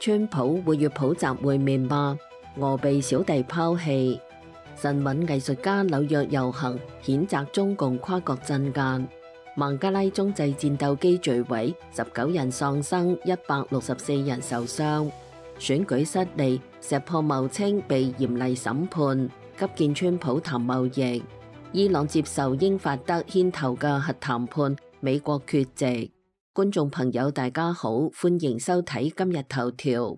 川普會與普習會面嗎？俄被小弟拋棄。神韻藝術家紐約遊行譴責中共跨國鎮壓。孟加拉中製戰鬥機墜毀，19人喪生，164人受傷。選舉失利，石破茂清被嚴厲審判，急見川普談貿易。伊朗接受英法德牽頭嘅核談判，美國缺席。觀眾朋友大家好，歡迎收睇今日頭條。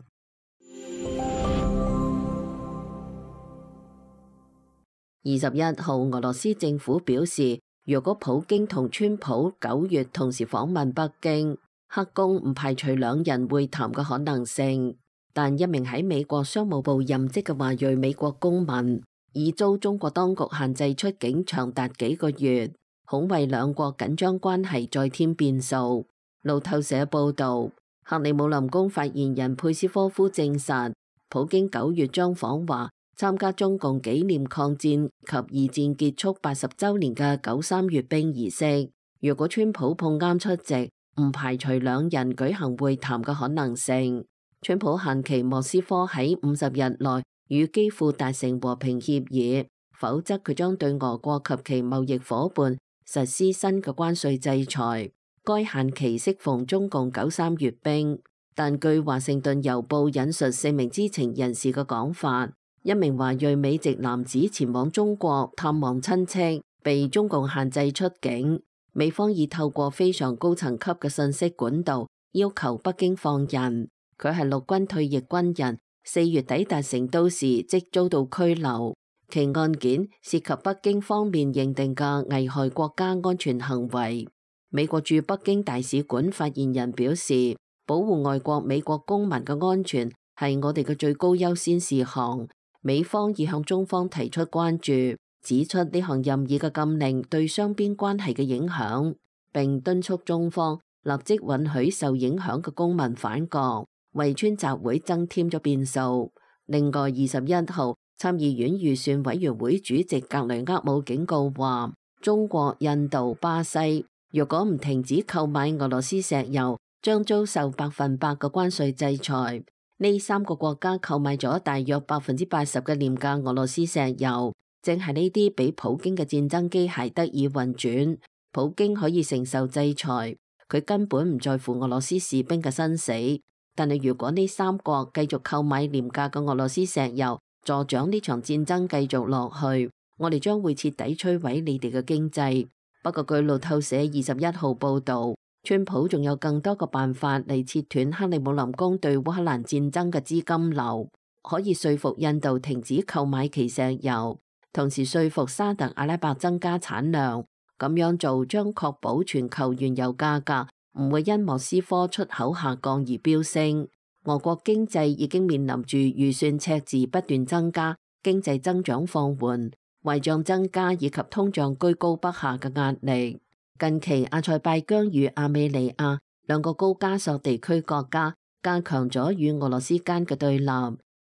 21號，俄羅斯政府表示，若果普京同川普9月同時訪問北京，黑宮唔排除兩人會談嘅可能性。但一名喺美國商務部任職嘅華裔美國公民，已遭中國當局限制出境長達幾個月，恐為兩國緊張關係再添變數。路透社報導，克里姆林宮發言人佩斯科夫證實，普京9月將訪華，參加中共紀念抗戰及二戰結束80週年嘅93閱兵儀式。如果川普碰啱出席，唔排除兩人舉行會談嘅可能性。川普限期莫斯科喺50日內與基輔達成和平協議，否則佢將對俄國及其貿易夥伴實施新嘅關稅制裁。該限期適逢中共93閱兵，但據華盛頓郵報引述4名知情人士嘅講法，一名華裔美籍男子前往中國探望親戚，被中共限制出境。美方已透過非常高層級嘅信息管道要求北京放人。佢係陸軍退役軍人，4月抵達成都時即遭到拘留。其案件涉及北京方面認定嘅危害國家安全行為。美國駐北京大使館發言人表示，保護外國美國公民嘅安全係我哋嘅最高優先事項。美方已向中方提出關注，指出呢項任意嘅禁令對雙邊關係嘅影響，並敦促中方立即允許受影響嘅公民返國，為川集會增添咗變數。另外21號，參議院預算委員會主席格雷厄姆警告話，中國、印度、巴西若果唔停止購買俄羅斯石油，將遭受100%嘅關稅制裁。呢3個國家購買咗大約80%嘅廉價俄羅斯石油，正係呢啲俾普京嘅戰爭機械得以運轉。普京可以承受制裁，佢根本唔在乎俄羅斯士兵嘅生死。但係如果呢3國繼續購買廉價嘅俄羅斯石油，助長呢場戰爭繼續落去，我哋將會徹底摧毀你哋嘅經濟。不過據路透社21號報導，川普仲有更多嘅辦法嚟切斷克里姆林宮對烏克蘭戰爭嘅資金流，可以說服印度停止購買其石油，同時說服沙特阿拉伯增加產量。咁樣做將確保全球原油價格唔會因莫斯科出口下降而飆升。俄國經濟已經面臨住預算赤字不斷增加、經濟增長放緩、壞賬增加以及通脹居高不下嘅壓力。近期阿塞拜疆與亞美尼亞兩個高加索地區國家加強咗與俄羅斯間嘅對立，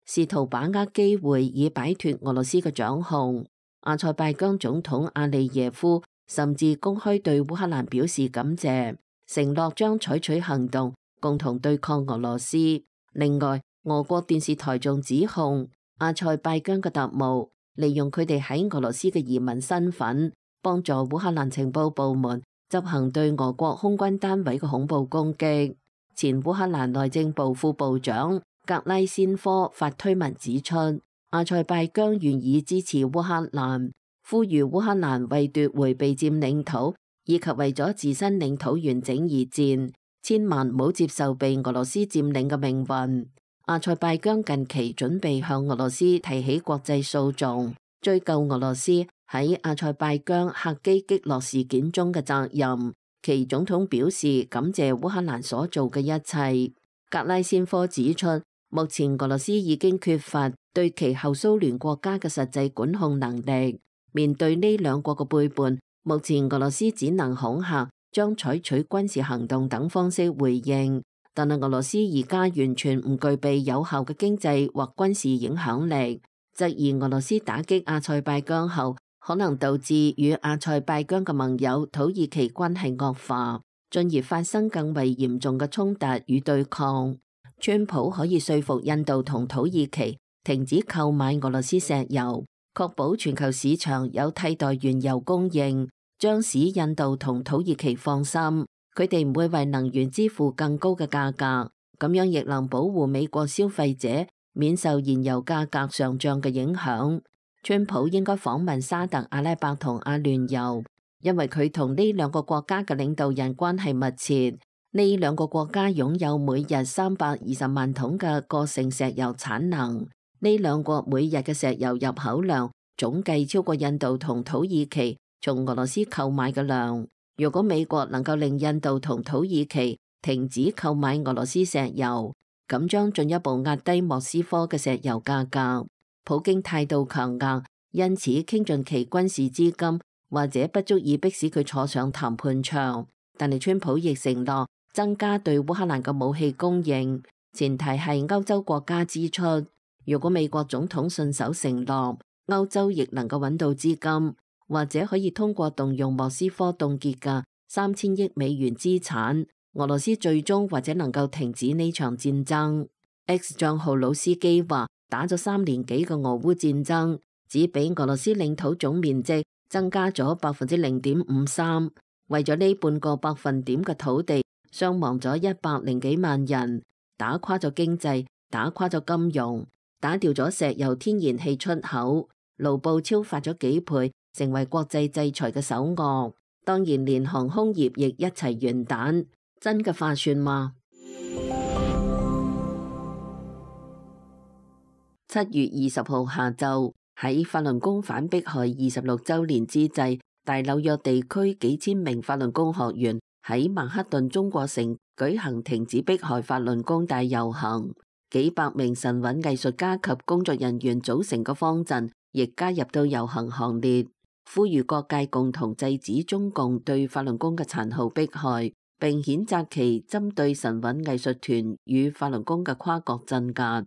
試圖把握機會以擺脫俄羅斯嘅掌控。阿塞拜疆總統阿利耶夫甚至公開對烏克蘭表示感謝，承諾將採取行動共同對抗俄羅斯。另外，俄國電視台仲指控阿塞拜疆嘅特務利用佢哋喺俄羅斯嘅移民身份，幫助烏克蘭情報部門執行對俄國空軍單位嘅恐怖攻擊。前烏克蘭內政部副部長格拉先科發推文指出，阿塞拜疆願意支持烏克蘭，呼籲烏克蘭為奪回被佔領土以及為咗自身領土完整而戰，千萬唔好接受被俄羅斯佔領嘅命運。阿塞拜疆近期準備向俄羅斯提起國際訴訟，追究俄羅斯喺阿塞拜疆客機擊落事件中嘅責任。其總統表示感謝烏克蘭所做嘅一切。格拉先科指出，目前俄羅斯已經缺乏對其後蘇聯國家嘅實際管控能力。面對呢兩國嘅背叛，目前俄羅斯只能恐嚇，將採取軍事行動等方式回應。但係俄羅斯而家完全唔具備有效嘅經濟或軍事影響力，質疑俄羅斯打擊阿塞拜疆後，可能導致與阿塞拜疆嘅盟友土耳其關係惡化，進而發生更為嚴重嘅衝突與對抗。川普可以說服印度同土耳其停止購買俄羅斯石油，確保全球市場有替代原油供應，將使印度同土耳其放心，佢哋唔會為能源支付更高嘅價格，咁樣亦能保護美國消費者免受燃油價格上漲嘅影響。川普應該訪問沙特阿拉伯同阿聯酋，因為佢同呢兩個國家嘅領導人關係密切。呢兩個國家擁有每日320萬桶嘅個性石油產能，呢兩國每日嘅石油入口量總計超過印度同土耳其從俄羅斯購買嘅量。如果美國能夠令印度同土耳其停止購買俄羅斯石油，咁將進一步壓低莫斯科嘅石油價格。普京態度強硬，因此傾盡其軍事資金或者不足以迫使佢坐上談判桌。但係川普亦承諾增加對烏克蘭嘅武器供應，前提係歐洲國家支出。如果美國總統信守承諾，歐洲亦能夠揾到資金，或者可以通過動用莫斯科凍結嘅3000億美元資產，俄羅斯最終或者能夠停止呢場戰爭。X 賬號老司機話，打咗3年幾嘅俄烏戰爭，只比俄羅斯領土總面積增加咗0.53%。為咗呢半個百分點嘅土地，傷亡咗100幾萬人，打垮咗經濟，打垮咗金融，打掉咗石油天然氣出口，盧布超發咗幾倍，成為國際制裁嘅首惡。當然連航空業亦一齊完蛋，真嘅划算嗎？7月20號下晝，喺法輪功反迫害26週年之際，大紐約地區幾千名法輪功學員喺曼克頓中國城舉行停止迫害法輪功大遊行，幾百名神韻藝術家及工作人員組成嘅方陣亦加入到遊行行列，呼籲各界共同制止中共對法輪功嘅殘酷迫害，並譴責其針對神韻藝術團與法輪功嘅跨國鎮壓。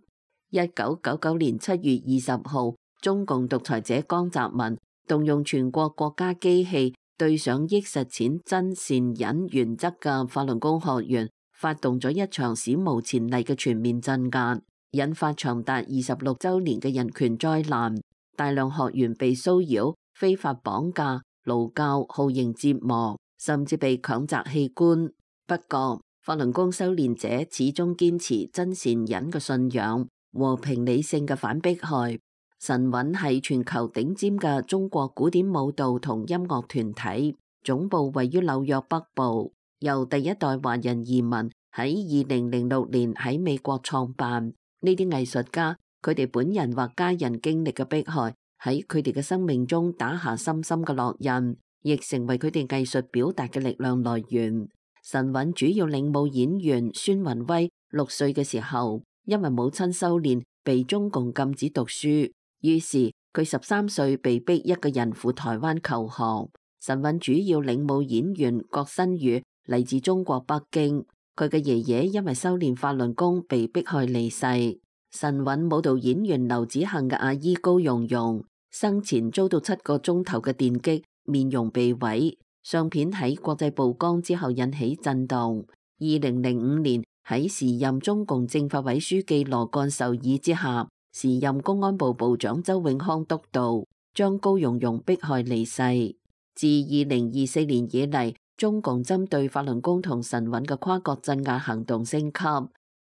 1999年7月20號，中共獨裁者江澤民動用全國國家機器對上億實踐真善忍原則嘅法輪功學員發動咗一場史無前例嘅全面鎮壓，引發長達26週年嘅人權災難。大量學員被騷擾、非法綁架、勞教、酷刑折磨，甚至被強摘器官。不過，法輪功修煉者始終堅持真善忍嘅信仰，和平理性嘅反迫害。神韻係全球頂尖嘅中國古典舞蹈同音樂團體，總部位於紐約北部，由第一代華人移民喺2006年喺美國創辦。呢啲藝術家，佢哋本人或家人經歷嘅迫害，喺佢哋嘅生命中打下深深嘅烙印，亦成為佢哋藝術表達嘅力量來源。神韻主要領舞演員孫雲威6歲嘅時候，因為母親修煉被中共禁止讀書，於是佢13歲被逼一個人赴台灣求學。神韻主要領舞演員郭新宇嚟自中國北京，佢嘅爺爺因為修煉法輪功被迫害離世。神韻舞蹈演員劉子恒嘅阿姨高蓉蓉生前遭到7個鐘頭嘅電擊，面容被毀。相片喺國際曝光之後引起震動。2005年喺時任中共政法委書記羅幹授意之下，時任公安部部長周永康督導，將高蓉蓉迫害離世。自2024年以嚟，中共針對法輪功同神韻嘅跨國鎮壓行動升級，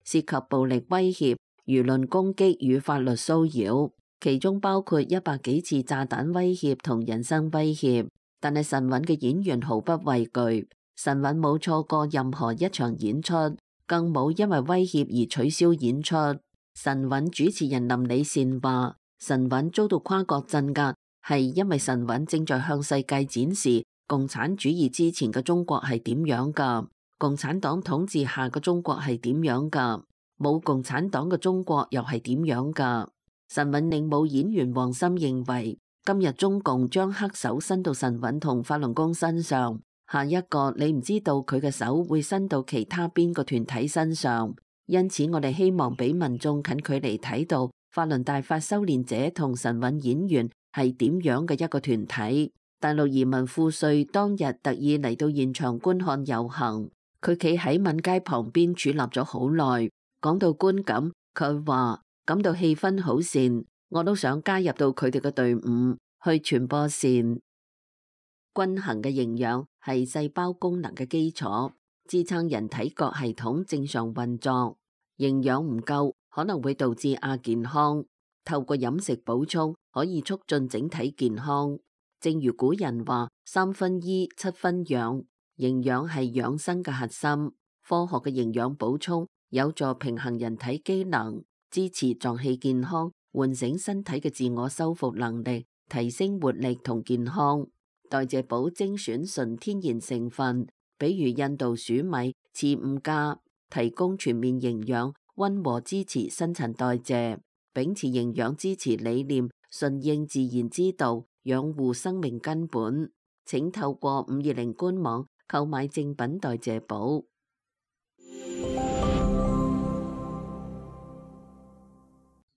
涉及暴力威脅、輿論攻擊與法律騷擾，其中包括100幾次炸彈威脅同人身威脅。但係神韻嘅演員毫不畏懼，神韻冇錯過任何一場演出，更冇因為威脅而取消演出。神韻主持人林李善話：神韻遭到跨國鎮壓，係因為神韻正在向世界展示共產主義之前嘅中國係點樣噶，共產黨統治下嘅中國係點樣噶，冇共產黨嘅中國又係點樣噶。神韻領舞演員黃森認為，今日中共將黑手伸到神韻同法輪功身上，下一個你唔知道佢嘅手會伸到其他邊個團體身上，因此我哋希望俾民眾近距離睇到法輪大法修煉者同神韻演員係點樣嘅一個團體。大陸移民富瑞當日特意嚟到現場觀看遊行，佢企喺閩街旁邊矗立咗好耐，講到觀感，佢話感到氣氛好善，我都想加入到佢哋嘅隊伍去傳播善。均衡嘅營養係細胞功能嘅基礎，支撐人體各系統正常運作。營養唔夠可能會導致亞健康，透過飲食補充可以促進整體健康。正如古人話3分醫7分養，營養係養生嘅核心。科學嘅營養補充有助平衡人體機能，支持臟器健康，喚醒身體嘅自我修復能力，提升活力同健康。代謝寶精選純天然成分，比如印度薯米、次5加，提供全面營養，溫和支持新陳代謝，秉持營養支持理念，順應自然之道，養護生命根本。請透過520官網購買正品代謝寶。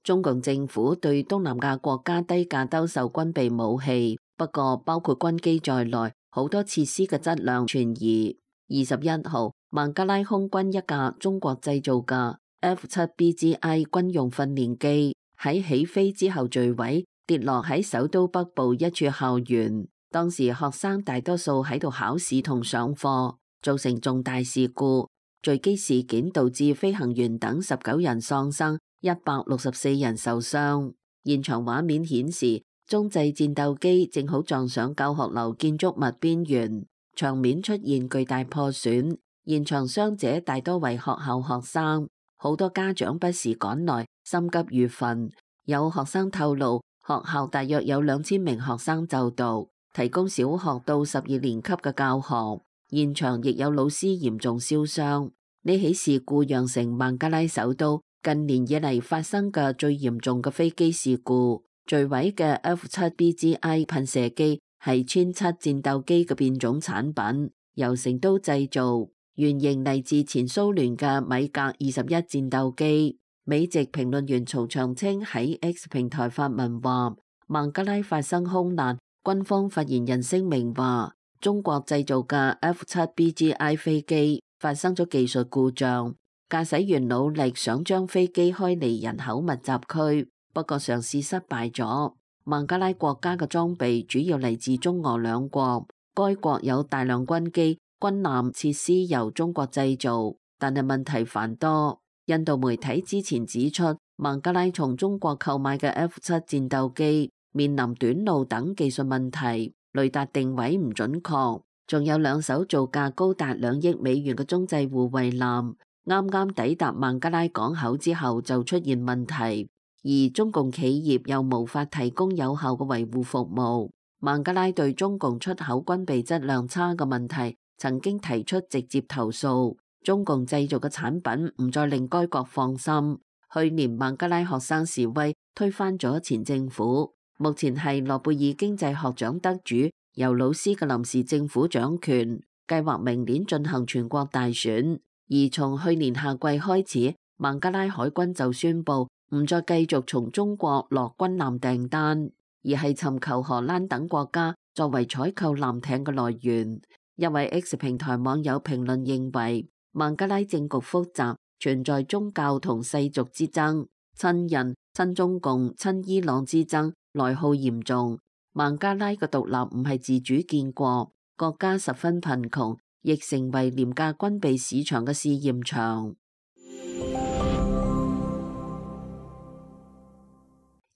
中共政府對東南亞國家低價兜售軍備武器，不過包括軍機在內，好多設施嘅質量存疑。21號，孟加拉空軍一架中國製造嘅 F7BGI 軍用訓練機喺起飛之後墜毀，跌落喺首都北部一處校園。當時學生大多數喺度考試同上課，造成重大事故。墜機事件導致飛行員等19人喪生，164人受傷。現場畫面顯示，中製戰鬥機正好撞上教學樓建築物邊緣，場面出現巨大破損。現場傷者大多為學校學生，好多家長不時趕來，心急如焚。有學生透露，學校大約有2000名學生就讀，提供小學到12年級嘅教學。現場亦有老師嚴重燒傷。呢起事故釀成孟加拉首都近年以嚟發生嘅最嚴重嘅飛機事故。墜毀嘅 F7BGI 噴射機係殲7戰鬥機嘅變種產品，由成都製造，原型嚟自前蘇聯嘅米格21戰鬥機。美籍評論員曹長青喺 X 平台發文話，孟加拉發生空難，軍方發言人聲明話，中國製造嘅 F7BGI 飛機發生咗技術故障，駕駛員努力想將飛機開離人口密集區，不過嘗試失敗咗。孟加拉國家嘅裝備主要嚟自中俄兩國，該國有大量軍機、軍艦設施由中國製造，但係問題繁多。印度媒體之前指出，孟加拉從中國購買嘅 F7戰鬥機面臨短路等技術問題，雷達定位唔準確，仲有2艘造價高達2億美元嘅中製護衛艦，啱啱抵達孟加拉港口之後就出現問題，而中共企業又無法提供有效嘅維護服務。孟加拉對中共出口軍備質量差嘅問題曾經提出直接投訴，中共製造嘅產品唔再令該國放心。去年孟加拉學生示威推翻咗前政府，目前係諾貝爾經濟學獎得主尤魯斯嘅臨時政府掌權，計劃明年進行全國大選。而從去年夏季開始，孟加拉海軍就宣布唔再繼續從中國落軍艦訂單，而係尋求荷蘭等國家作為採購艦艇嘅來源。一位 X 平台網友評論認為，孟加拉政局複雜，存在宗教同世俗之爭，親印、親中共、親伊朗之爭，內耗嚴重。孟加拉嘅獨立唔係自主建國，國家十分貧窮，亦成為廉價軍備市場嘅試驗場。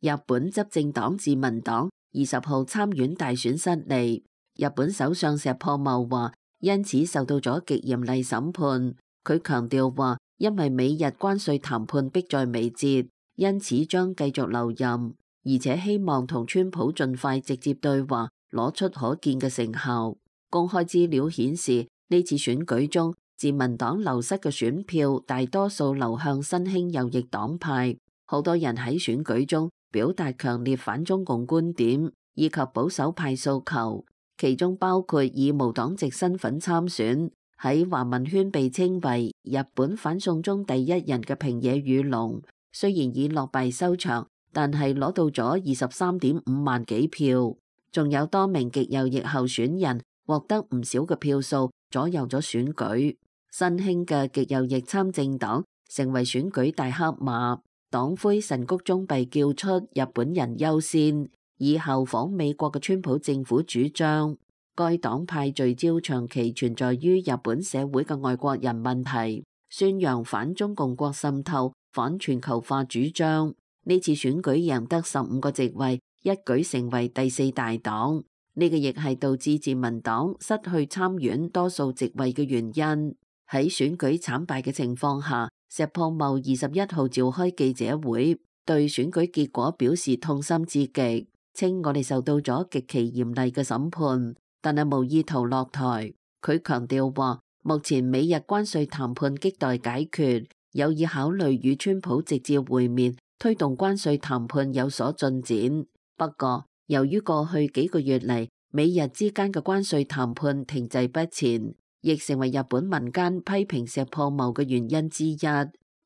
日本執政黨自民黨20號參院大選失利，日本首相石破茂話因此受到咗極嚴厲審判。佢強調話，因為美日關稅談判迫在眉睫，因此將繼續留任，而且希望同川普盡快直接對話，攞出可見嘅成效。公開資料顯示，呢次選舉中，自民黨流失嘅選票大多數流向新興右翼黨派，好多人喺選舉中表達強烈反中共觀點，以及保守派訴求，其中包括以無黨籍身份參選，喺華文圈被稱為日本反送中第一人嘅平野宇龍，雖然以落敗收場，但係攞到咗23.5萬幾票。仲有多名極右翼候選人獲得唔少嘅票數，左右咗選舉。新興嘅極右翼參政黨成為選舉大黑馬。黨魁神谷忠弼叫出日本人優先，以效仿美國嘅川普政府主張。該黨派聚焦長期存在於日本社會嘅外國人問題，宣揚反中共國滲透、反全球化主張。呢次選舉贏得15個席位，一舉成為第4大黨。呢個亦係導致自民黨失去參院多數席位嘅原因。喺選舉慘敗嘅情況下，石破茂21號召開記者會，對選舉結果表示痛心至極，稱我哋受到咗極其嚴厲嘅審判，但係無意圖落台。佢強調話，目前美日關稅談判亟待解決，有意考慮與川普直接會面，推動關稅談判有所進展。不過，由於過去幾個月嚟，美日之間嘅關稅談判停滯不前，亦成為日本民間批評石破茂嘅原因之一。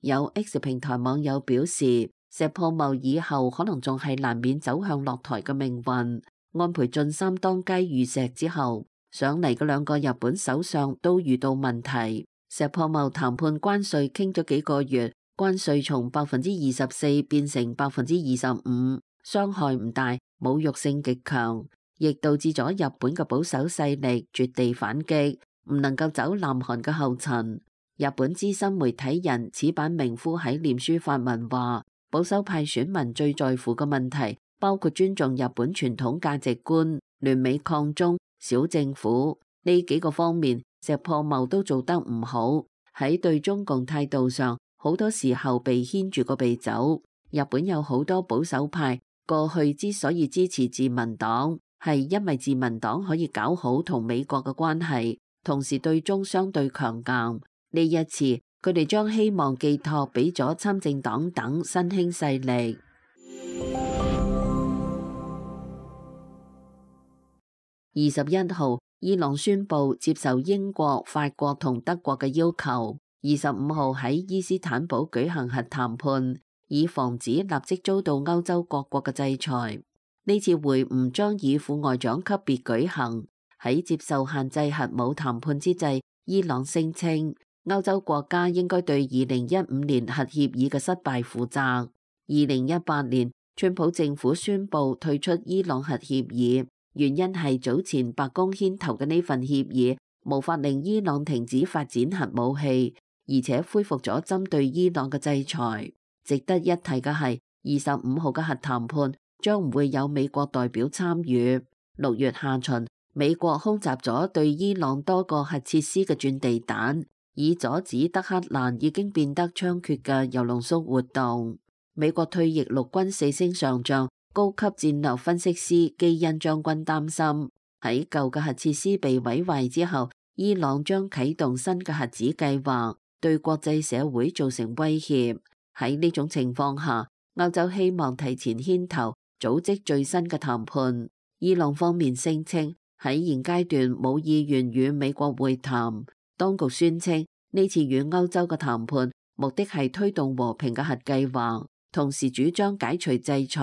有 X 平台網友表示，石破茂以後可能仲係難免走向落台嘅命運。安倍晉三當街遇石之後，上嚟嘅2個日本首相都遇到問題。石破茂談判關稅傾咗幾個月，關稅從24%變成25%，傷害唔大，侮辱性極強，亦導致咗日本嘅保守勢力絕地反擊，唔能夠走南韓嘅後塵。日本資深媒體人矢板明夫喺臉書發文話，保守派選民最在乎嘅問題包括尊重日本傳統價值觀、聯美抗中、小政府呢幾個方面，石破茂都做得唔好。喺對中共態度上，好多時候被牽住個鼻走。日本有好多保守派過去之所以支持自民黨，係因為自民黨可以搞好同美國嘅關係，同時對中相對強硬。呢一次，佢哋將希望寄託俾咗參政黨等新興勢力。21號，伊朗宣布接受英國、法國同德國嘅要求，25號喺伊斯坦堡舉行核談判，以防止立即遭到歐洲各國嘅制裁。呢次會晤將以副外長級別舉行。喺接受限制核武談判之際，伊朗聲稱歐洲國家應該對2015年核協議嘅失敗負責。2018年，川普政府宣布退出伊朗核協議，原因係早前白宮牽頭嘅呢份協議無法令伊朗停止發展核武器，而且恢復咗針對伊朗嘅制裁。值得一提嘅係，25號嘅核談判將唔會有美國代表參與。6月下旬，美國空襲咗對伊朗多個核設施嘅鑽地彈，以阻止德黑蘭已經變得猖獗嘅鈾濃縮活動。美國退役陸軍4星上將、高級戰略分析師基恩將軍擔心，喺舊嘅核設施被毀壞之後，伊朗將啟動新嘅核子計劃，對國際社會造成威脅。喺呢種情況下，歐洲希望提前牽頭組織最新嘅談判。伊朗方面聲稱喺現階段冇意願與美國會談。當局宣稱呢次與歐洲嘅談判目的係推動和平嘅核計劃，同時主張解除制裁。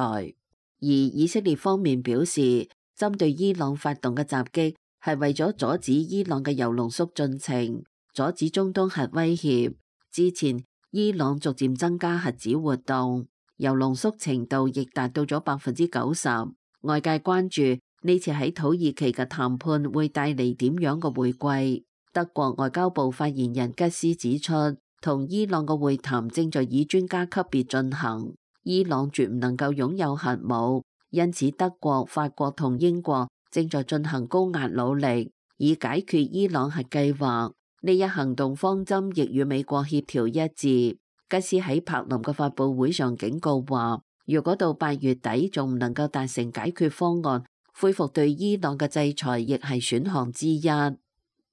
而以色列方面表示，針對伊朗發動嘅襲擊係為咗阻止伊朗嘅鈾濃縮進程，阻止中東核威脅。之前伊朗逐漸增加核子活動，鈾濃縮程度亦達到咗90%。外界關注呢次喺土耳其嘅談判會帶嚟點樣嘅回歸。德國外交部發言人吉斯指出，同伊朗嘅會談正在以專家級別進行，伊朗絕唔能夠擁有核武，因此德國、法國同英國正在進行高壓努力，以解決伊朗核計劃。呢一行動方針亦與美國協調一致。吉斯喺柏林嘅發佈會上警告話，如果到8月底仲唔能夠達成解決方案，恢復對伊朗嘅制裁亦係選項之一。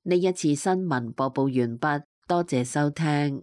呢一次新聞播報完畢，多謝收聽。